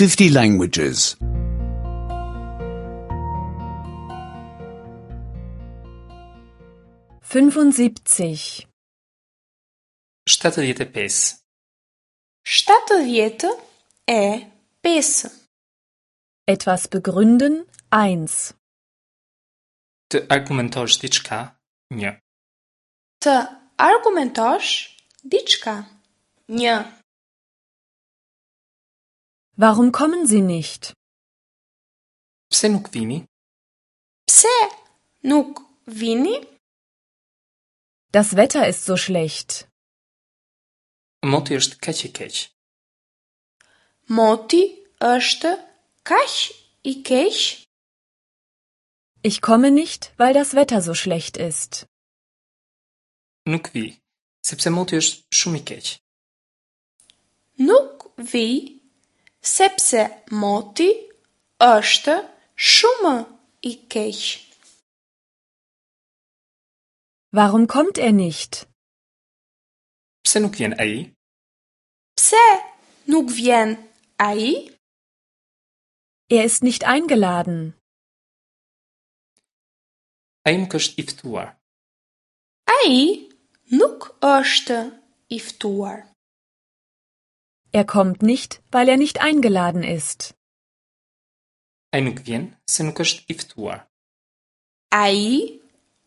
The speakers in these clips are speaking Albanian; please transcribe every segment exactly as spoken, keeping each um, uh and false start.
fifty languages. fünfundsiebzig shtatëdhjetë e pesë. Shtatëdhjetë e pesë. Etwas begründen eins. Të argumentosh diçka, një. Të argumentosh diçka. Një. Warum kommen Sie nicht? Pse nuk vini? Pse nuk vini? Das Wetter ist so schlecht. Moti është kaq i keq. Moti është kaq i keq. Ich komme nicht, weil das Wetter so schlecht ist. Nuk vi, sepse moti është shumë i keq. Nuk vi, sepse moti është shumë i keq. Warum kommt er nicht? Pse nuk vjen ai? Pse nuk vjen ai? Er ist nicht eingeladen. Ai nuk është i ftuar. Ai nuk është i ftuar. Er kommt nicht, weil er nicht eingeladen ist. Ai nuk vjen se nuk është i ftuar. Ai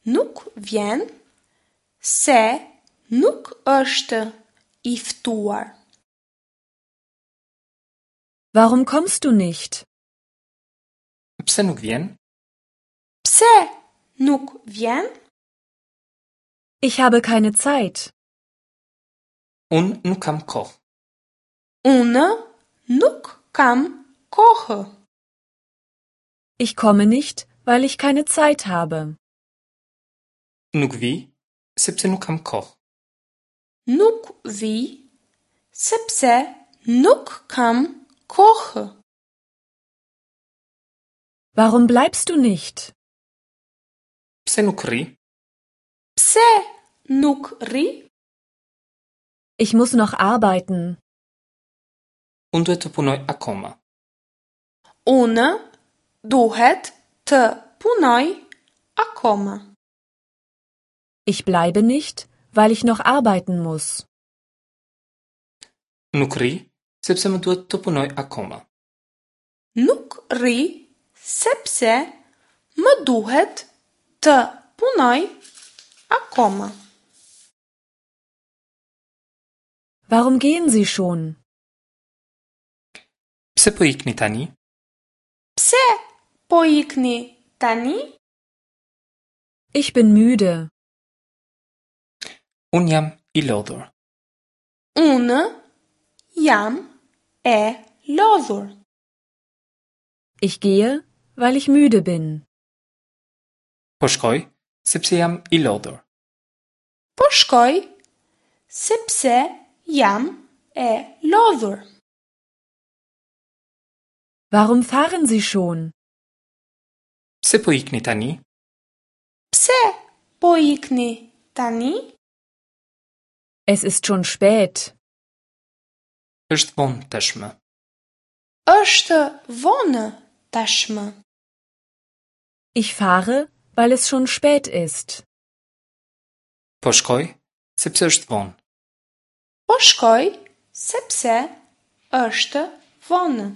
nuk vjen se nuk është i ftuar. Warum kommst du nicht? Pse nuk vjen? Pse nuk vjen? Ich habe keine Zeit. Unë nuk kam kohë. Unë nuk kam kohë. Ich komme nicht, weil ich keine Zeit habe. Nuk vi, sepse nuk kam kohë. Nuk vi, sepse nuk kam kohë. Warum bleibst du nicht? Pse nuk rri? Pse nuk rri? Ich muss noch arbeiten. Unë duhet të punoj akoma. Unë duhet të punoj akoma. Ich bleibe nicht, weil ich noch arbeiten muss. Nuk rri, sepse më duhet të punoj akoma. Nuk rri, sepse më duhet të punoj akoma. Warum gehen Sie schon? Pse po ikni tani? Pse po ikni tani? Ich bin müde. Unë jam i lodhur. Unë jam e lodhur. Ich gehe, weil ich müde bin. Po shkoj, sepse jam i lodhur. Po shkoj, sepse jam e lodhur. Warum fahren Sie schon? Pse po ikni tani? Pse po ikni tani? Es ist schon spät. Është vonë tashmë. Është vonë tashmë. Ich fahre, weil es schon spät ist. Po shkoj, sepse është vonë. Po shkoj, sepse është vonë.